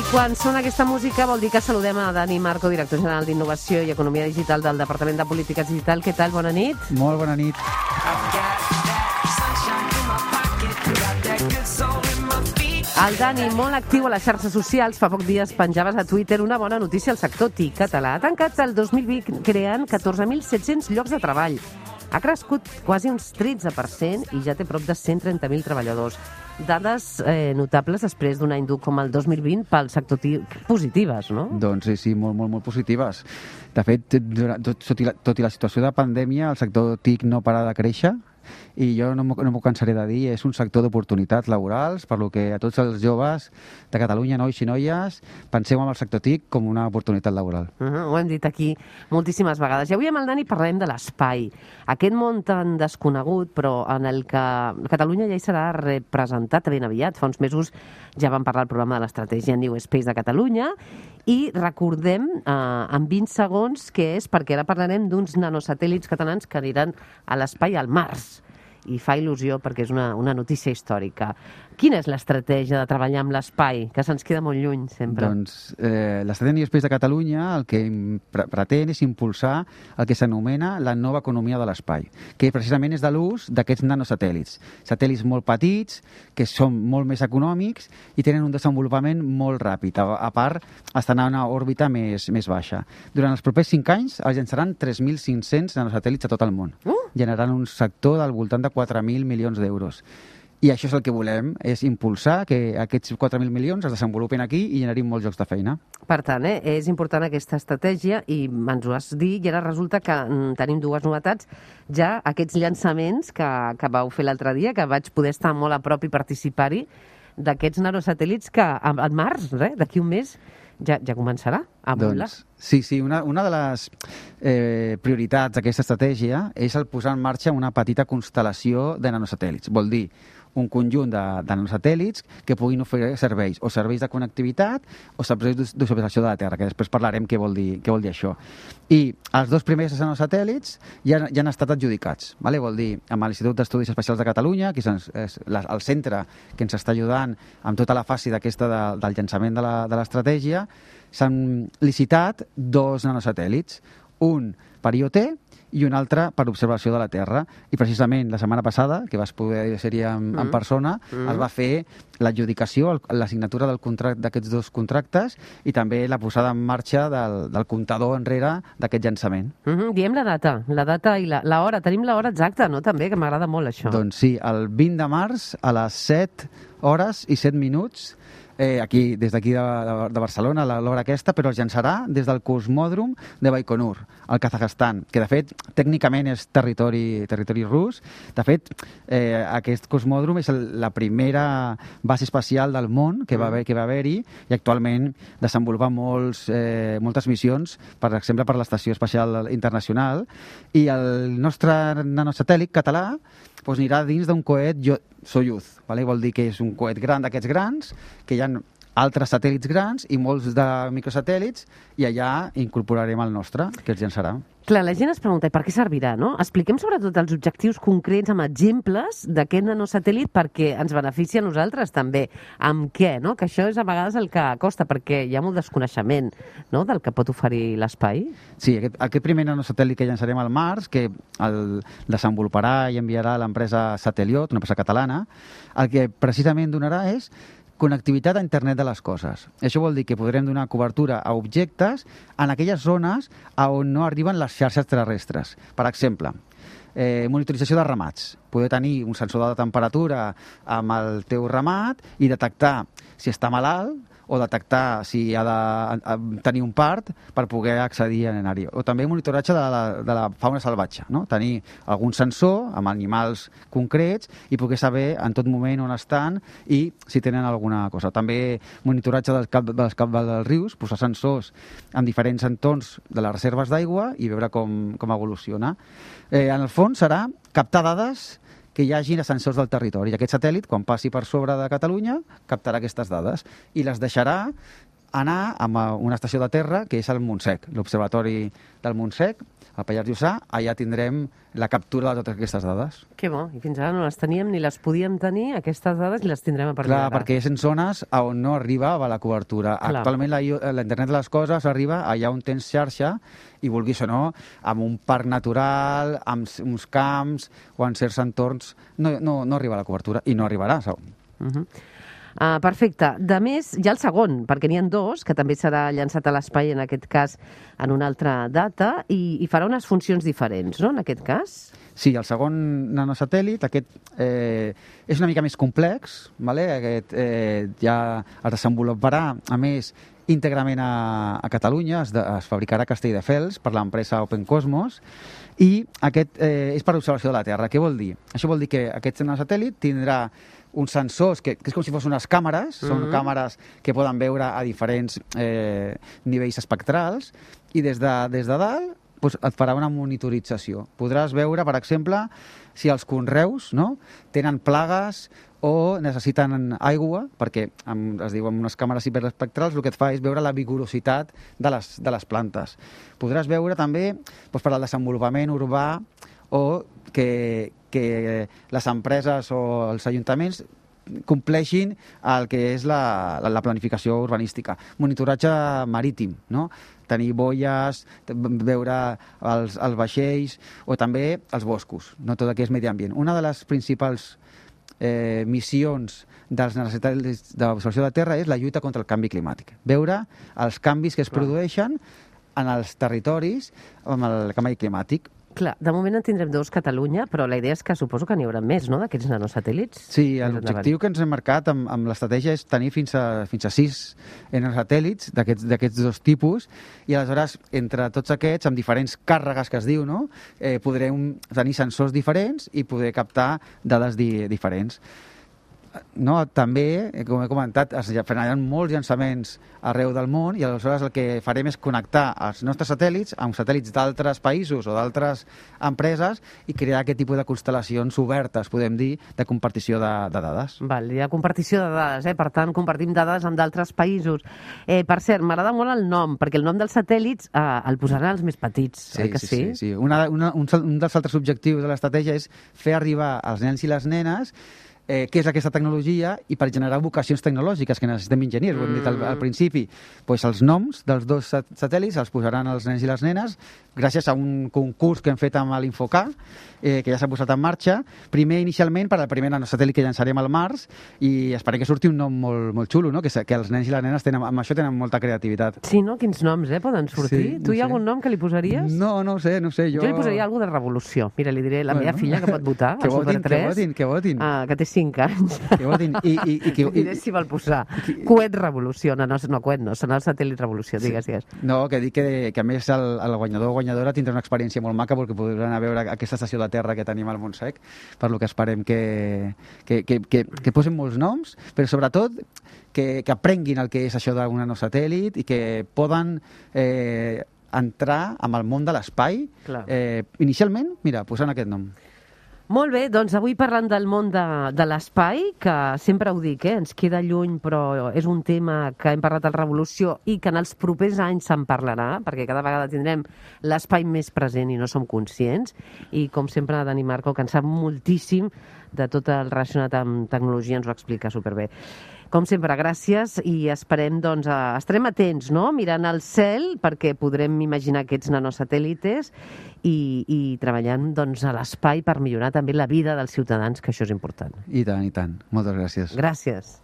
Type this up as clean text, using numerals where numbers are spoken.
Quan sona aquesta música vol dir que saludem a Dani Marco, director general d'Innovació i Economia Digital del Departament de Polítiques Digital. Què tal? Bona nit. Molt bona nit. El Dani, molt actiu a les xarxes socials, fa pocs dies penjaves a Twitter una bona notícia al sector TIC català. Ha tancat el 2020 creant 14.700 llocs de treball. Ha crescut quasi uns 13% i ja té prop de 130.000 treballadors. Dades notables després d'un any dur com el 2020 pel sector TIC positives, no? Doncs sí, molt positives. De fet, tot i la situació de pandèmia, el sector TIC no para de créixer i jo no m'ho cansaré de dir, és un sector d'oportunitats laborals, per lo que a tots els joves de Catalunya, nois i noies, penseu en el sector TIC com una oportunitat laboral. Ho hem dit aquí moltíssimes vegades. I avui amb el Dani parlarem de l'espai. Aquest món tan desconegut, però en el que Catalunya ja hi serà representat ben aviat. Fa uns mesos ja vam parlar al programa de l'estratègia New Space de Catalunya i recordem en 20 segons què és, perquè ara parlarem d'uns nanosatèl·lits catalans que aniran a l'espai al març. I fa il·lusió perquè és una notícia històrica. Quina és l'estratègia de treballar amb l'espai, que se'ns queda molt lluny sempre? Doncs l'estratègia New Space de Catalunya el que pretén és impulsar el que s'anomena la nova economia de l'espai, que precisament és de l'ús d'aquests nanosatèl·lits. Satèl·lits molt petits, que són molt més econòmics i tenen un desenvolupament molt ràpid. A part, estan a una òrbita més baixa. Durant els propers 5 anys es llançaran 3.500 nanosatèl·lits a tot el món, generant un sector del voltant de 4.000 milions d'euros. I això és el que volem, és impulsar que aquests 4.000 milions es desenvolupin aquí i generin molts llocs de feina. Per tant, és important aquesta estratègia i ens ho has dit, i ara resulta que tenim dues novetats. Ja aquests llançaments que vau fer l'altre dia, que vaig poder estar molt a prop i participar-hi, d'aquests nanosatèl·lits que en març, d'aquí un mes, ja començarà a volar. Doncs, sí, una de les prioritats d'aquesta estratègia és el posar en marxa una petita constel·lació de nanosatèl·lits. Vol dir un conjunt de nanosatèl·lits que puguin oferir serveis, o serveis de connectivitat o serveis d'observació de la Terra, que després parlarem què vol dir això. I els 2 primers nanosatèl·lits ja han estat adjudicats. Vol dir, amb l'Institut d'Estudis Espacials de Catalunya, que és el centre que ens està ajudant amb tota la fase d'aquesta del llançament de l'estratègia, s'han licitat 2 nanosatèl·lits, un per IoT i un altre per observació de la Terra. I precisament la setmana passada, que vas poder ser-hi en persona, es va fer l'adjudicació, la signatura d'aquests 2 contractes i també la posada en marxa del comptador enrere d'aquest llançament. Diem la data i l'hora. Tenim l'hora exacta, no? També, que m'agrada molt això. Doncs sí, el 20 de març a les 7 hores i 7 minuts, des d'aquí de Barcelona, a l'hora aquesta, però es llançarà des del cosmòdrom de Baikonur, al Kazakhstan, que de fet tècnicament és territori rus. De fet, aquest cosmòdrom és la primera base espacial del món que va haver-hi i actualment desenvolupa moltes missions, per exemple per l'Estació Espacial Internacional, i el nostre nanosatèl·lit català anirà dins d'un coet Soyuz. Vol dir que és un coet gran d'aquests grans, que hi ha altres satèl·lits grans i molts de microsatèl·lits, i allà incorporarem el nostre, que es llançarà. Clar, la gent es pregunta, per què servirà, no? Expliquem sobretot els objectius concrets amb exemples d'aquest nanosatèl·lit perquè ens beneficia a nosaltres també. Amb què, no? Que això és a vegades el que costa, perquè hi ha molt desconeixement, no?, del que pot oferir l'espai. Sí, aquest primer nanosatèl·lit que llançarem al març, que el desenvoluparà i enviarà l'empresa Sateliot, una empresa catalana, el que precisament donarà és connectivitat a internet de les coses. Això vol dir que podrem donar cobertura a objectes en aquelles zones on no arriben les xarxes terrestres. Per exemple, monitorització de ramats. Poder tenir un sensor de temperatura amb el teu ramat i detectar si està malalt o detectar si ha de tenir un part per poder accedir a anar-hi. O també monitoratge de la fauna salvatge, no? Tenir algun sensor amb animals concrets i poder saber en tot moment on estan i si tenen alguna cosa. També monitoratge dels dels rius, posar sensors en diferents entorns de les reserves d'aigua i veure com evoluciona. En el fons serà captar dades que hi hagi sensors del territori. I aquest satèl·lit, quan passi per sobre de Catalunya, captarà aquestes dades i les deixarà anar a una estació de terra, que és el Montsec, l'Observatori del Montsec, al Pallars Jussà. Allà tindrem la captura de totes aquestes dades. Que bo, i fins ara no les teníem ni les podíem tenir, aquestes dades, i les tindrem a partir Clar, d'ara. perquè és en zones on no arribava la cobertura. Clar. Actualment la internet de les coses arriba allà on tens xarxa, i vulguis o no, amb un parc natural, amb uns camps o en certs entorns, no arriba la cobertura, i no arribarà. Perfecte. De més, hi ha el segon, perquè n'hi ha dos, que també serà llançat a l'espai, en aquest cas, en una altra data, i farà unes funcions diferents, no?, en aquest cas? Sí, el segon nanosatèl·lit, aquest és una mica més complex, vale? Aquest ja es desenvoluparà, a més, íntegrament a Catalunya, es fabricarà a Castelldefels per l'empresa Open Cosmos, i aquest és per observació de la Terra. Què vol dir? Això vol dir que aquest nanosatèl·lit tindrà uns sensors que és com si fossin unes càmeres, són càmeres que poden veure a diferents nivells espectrals, i des de dalt et farà una monitorització. Podràs veure, per exemple, si els conreus tenen plagues o necessiten aigua, perquè es diu amb unes càmeres hiperespectrals, el que et fa és veure la vigorositat de les plantes. Podràs veure també per al desenvolupament urbà, o que les empreses o els ajuntaments compleixin el que és la planificació urbanística. Monitoratge marítim, tenir boies, veure els vaixells, o també els boscos, tot el que és medi ambient. Una de les principals missions dels nanosatèl·lits d'observació de terra és la lluita contra el canvi climàtic. Veure els canvis que es produeixen en els territoris amb el canvi climàtic. Clar, de moment en tindrem dos a Catalunya, però la idea és que suposo que n'hi haurà més, no?, d'aquests nanosatèl·lits. Sí, l'objectiu que ens hem marcat amb l'estratègia és tenir fins a 6 nanosatèl·lits d'aquests dos tipus, i aleshores, entre tots aquests, amb diferents càrregues que es diu, podrem tenir sensors diferents i poder captar dades diferents. També, com he comentat, es faran molts llançaments arreu del món, i aleshores el que farem és connectar els nostres satèl·lits amb satèl·lits d'altres països o d'altres empreses i crear aquest tipus de constel·lacions obertes, podem dir, de compartició de dades. Val, hi ha compartició de dades, per tant, compartim dades amb d'altres països. Per cert, m'agrada molt el nom, perquè el nom dels satèl·lits el posaran els més petits, oi que sí? Sí. Un dels altres objectius de l'estratègia és fer arribar als nens i les nenes què és aquesta tecnologia, i per generar vocacions tecnològiques, que necessitem enginyers, ho hem dit al principi. Els noms dels dos satèl·lits els posaran els nens i les nenes gràcies a un concurs que hem fet amb l'Infocar, que ja s'ha posat en marxa, primer inicialment per al primer nanosatèl·lit que llançarem al març, i esperem que surti un nom molt xulo, que els nens i les nenes amb això tenen molta creativitat. Sí, no? Quins noms poden sortir? Tu hi ha algun nom que li posaries? No ho sé. Jo li posaria alguna de revolució. Mira, li diré a la meva filla que pot votar, que al Super 3, que votin. Que té 5 anys. Que votin. I diré si vol posar coet revolució. No, coet no, serà el satèl·lit revolució, digues. No, que dic que a més el guanyador o guanyadora tindrà una experiència molt maca, perquè podran anar a veure aquesta estació de terra que tenim al Montsec, per lo que esperem que posin molts noms, però sobretot que aprenguin el que és això d'un nanosatèl·lit i que poden entrar amb el món de l'espai, inicialment, posant aquest nom. Molt bé, doncs avui parlant del món de l'espai, que sempre ho dic, ens queda lluny, però és un tema que hem parlat al Revolució i que en els propers anys se'n parlarà, perquè cada vegada tindrem l'espai més present i no som conscients. I com sempre, Dani Marco, que en sap moltíssim de tot el relacionat amb tecnologia, ens ho explica superbé. Com sempre, gràcies, i esperem, estarem atents, mirant al cel, perquè podrem imaginar aquests nanosatèl·lites i treballant a l'espai per millorar també la vida dels ciutadans, que això és important. I tant. Moltes gràcies. Gràcies.